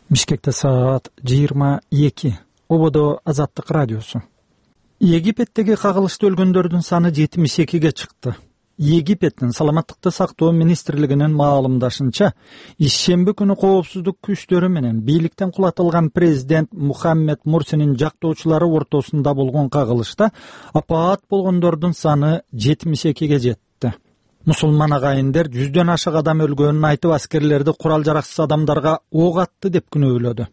Бишкекте саат 22. Ободо Азаттык радиосу. Египеттеги кагылышта өлгөндөрдүн саны 72ге чыкты. Египеттин саламаттыкты сактоо министрлигинин маалымдашынча, ишемби күнү коопсуздук күчтөрү менен бийликтен кулатылган президент Мухаммед Мурсинин жактоочулары ортосунда болгон кагылышта апаат болгондордун саны 72ге жетти. Мусулман агайындар 100дөн ашык адам өлгөнүн айтып, аскерлерди курал жараксыз адамдарга ок атты деп күнөөлөдү.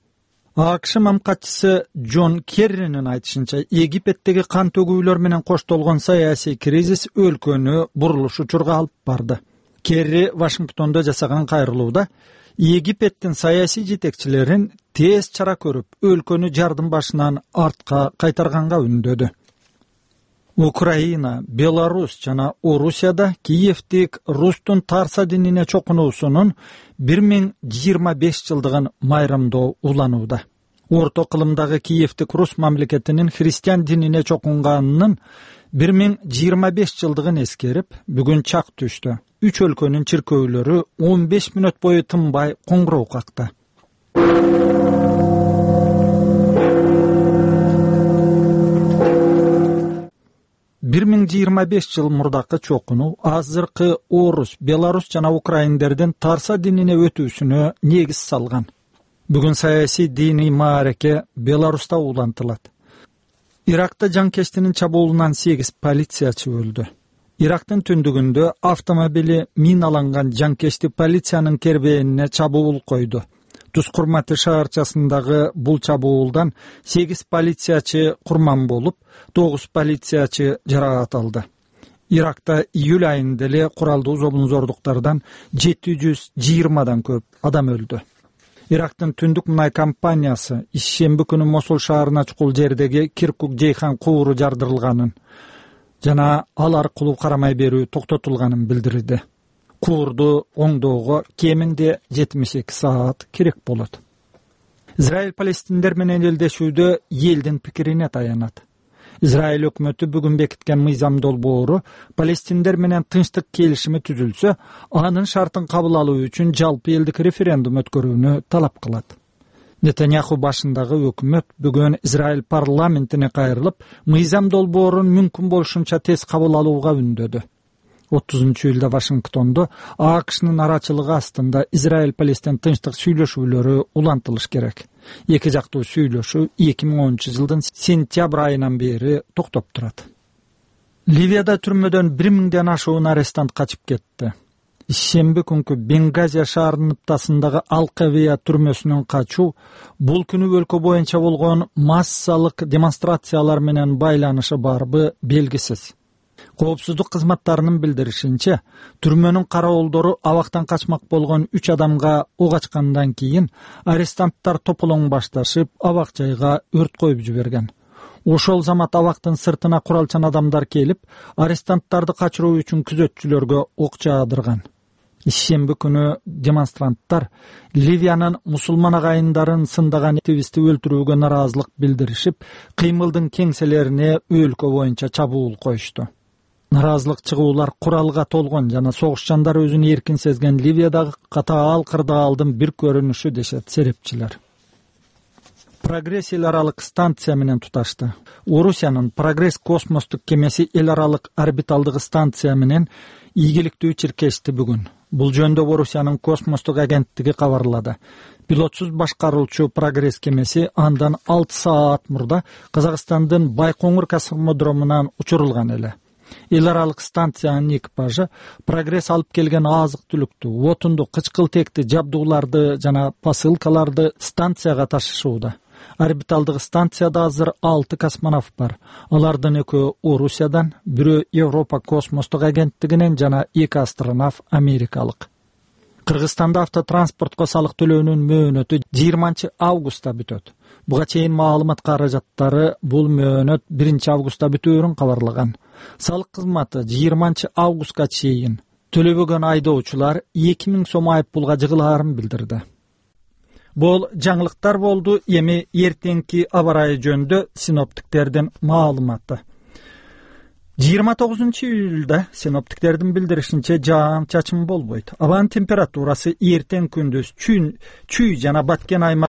АКШ мамкатчысы Джон Керринин айтышынча, Египеттеги кан төгүүлөр менен коштолгон саясий кризис өлкөнү бурулуш учурга алып барды. Керри Вашингтондо жасаган кайрылууда Египеттин саясий жетекчилерин тез чара көрүп, өлкөнү жардын башынан артка кайтарганга үндөдү. Украина, Беларусь жана Орусияда Киевдик Рустун Тарса динине чокунуусунун 1025 жылдыгын майрамдоо уланууда. Орто кылымдагы Киевдик Рус мамлекетинин христиан динине чокунганынын 1025 жылдыгын эскерип, бүгүн чак түштү. 3 өлкөнүн чиркөөлөрү 15 мүнөт бою тынбай коңгуроо какты. 1025 жыл мурдакы чокунуу азыркы орус, белорус жана украиндердин Тарса динине өтүүсүнө негиз салган. Бүгүн саясий диний маареке Беларуста улантылат. Иракта жанкечтинин чабуулунан 8 полициячы өлдү. Ирактын түндүгүндө автомобили миналанган жанкечти полициянын кербээнине чабуул койду. Тускурматы шаарчасындагы бул чабуулдан 8 полициячы курман болуп, 9 полициячы жаракат алды. Иракта июль айында эле куралдуу зобунзордуктардан 720дан көп адам өлдү. Ирактын түндүк мунай компаниясы ишемби күнү Мосул шаарына чукул жердеги Киркук-Жейхан кууру жардырылганын жана ал аркылуу карамай берүү токтотулганын билдирди. Куурду оңдоого кеминде 72 саат керек болот. Израиль палестиндер менен элдешүүдө элдин пикирине таянат. Израиль өкмөтү бүгүн бекиткен мыйзам долбоору палестиндер менен тынчтык келишими түзүлсө, анын шартын кабыл алуу үчүн жалпы элдик референдум өткөрүүнү талап кылат. Нетаньяху башындагы өкмөт бүгүн Израиль парламентине кайрылып, мыйзам долбоорун мүмкүн болушунча тез кабыл алууга үндөдү. 30-июлда Вашингтондо АКШнын арачылыгы астында Израиль-Палестин тынчтык сүйлөшүүлөрү улантылыш керек. Эки жактуу сүйлөшүү 2010-жылдын сентябрь айынан бери токтоп турат. Ливияда түрмөдөн 1000ден ашуун арестант качып кетти. Ишемби күнкү Бенгазия шаарынын ыптасындагы Алкавия түрмөсүнөн качуу бул күнү өлкө боюнча болгон массалык демонстрациялар менен байланышы барбы белгисиз. Коопсуздук кызматтарынын билдиришинче, түрмөнүн кароолдору абактан качмак болгон 3 адамга ок ачкандан кийин арестанттар тополоң башташып, абак жайга өрт коюп жиберген. Ошол замат абактын сыртына куралчан адамдар келип, арестанттарды качыруу үчүн күзөтчүлөргө ок жаадырган. Ишемби күнү демонстранттар Ливиянын мусулман агайындарын сындаган активистти өлтүрүүгө нараазылык билдиришип, кыймылдын кеңселерине өлкө боюнча чабуул коюшту. Нараазылык чыгуулар куралга толгон жана согушчандар өзүн эркин сезген Ливиядагы катаал кырдаалдын бир көрүнүшү дешет серепчилер. Прогресс эл аралык станция менен туташты. Орусиянын Прогресс космостук кемеси эл аралык орбиталдык станция менен ийгиликтүү чиркешти бүгүн. Бул жөнүндө Орусиянын космостук агенттиги кабарлады. Пилотсуз башкаруучу Прогресс кемеси андан 6 саат мурда Казакстандын Байкоңур космодромунан учурулган эле. Эл аралык станциянын экипажы Прогресс алып келген азык-түлүктү, отунду, кычкылтекти жабдууларды жана посылкаларды станцияга ташышууда. Орбиталдык станцияда азыр 6 космонавт бар. Алардын экөө Орусиядан, бирөө Европа космостук агенттигинен жана 2 астронавт америкалык. Кыргызстанда автотранспортко салык төлөөнүн мөөнөтү 20 августта бүтөт. Буга чейин маалымат каражаттары бул мөөнөт 1 августта бүтөөрүн кабарлаган. Салык кызматы 20 августка чейин төлөбөгөн айдоочулар 2000 сом айыппулга жыгылаарын билдирди. Бул жаңылыктар болду. Эми эртеңки аба ырайы жөнүндө синоптиктердин маалыматы. 29-июлда синоптиктердин билдиришинче жаан чачын болбойт. Абанын температурасы эртең күндүз чүй жана баткен аймак